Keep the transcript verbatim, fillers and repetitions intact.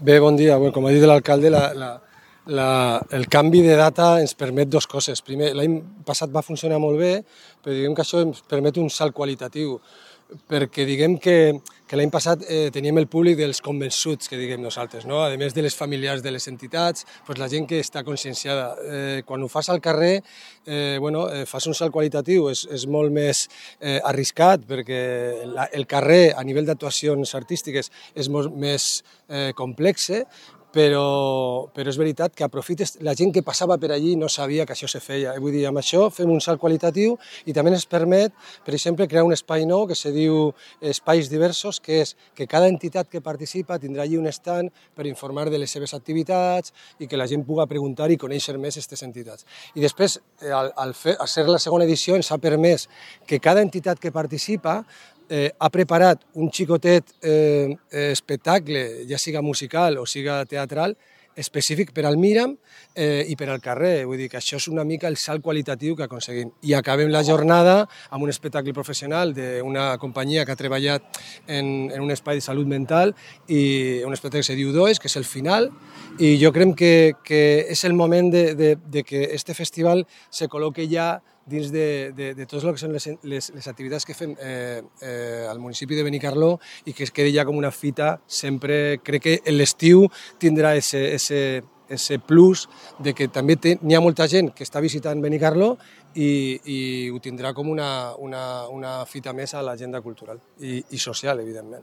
Bé, bon dia. Bé, com ha dit l'alcalde, la, la, la, el canvi de data ens permet dues coses. Primer, l'any passat va funcionar molt bé, però diguem que això ens permet un salt qualitatiu, perquè diguem que, que l'any passat eh, teníem el públic dels convençuts, que diguem nosaltres, no? A més de les familiars de les entitats, doncs la gent que està conscienciada. Eh, quan ho fas al carrer, eh, bueno, eh, fas un salt qualitatiu, és, és molt més eh, arriscat, perquè la, el carrer, a nivell d'actuacions artístiques, és molt més eh, complex, però, però és veritat que aprofites, la gent que passava per allí no sabia que això se feia. Vull dir, amb això fem un salt qualitatiu i també ens permet, per exemple, crear un espai nou que se diu Espais Diversos, que és que cada entitat que participa tindrà allí un stand per informar de les seves activitats i que la gent pugui preguntar i conèixer més aquestes entitats. I després, al, al, fer, al ser la segona edició, ens ha permès que cada entitat que participa Eh, ha preparat un xicotet eh, espectacle, ja siga musical o siga teatral, específic per al Míram eh, i per al carrer. Vull dir que això és una mica el salt qualitatiu que aconseguim. I acabem la jornada amb un espectacle professional d'una companyia que ha treballat en, en un espai de salut mental i un espectacle que se diu Does, que és el final, i jo crec que, que és el moment de, de, de que este festival se col·loque ja dins de, de, de tot el que són les, les, les activitats que fem eh, eh, al municipi de Benicarló i que es quedi ja com una fita sempre. Crec que l'estiu tindrà ese, ese, ese plus de que també n'hi ha molta gent que està visitant Benicarló i, i ho tindrà com una, una, una fita més a l'agenda cultural i, i social, evidentment.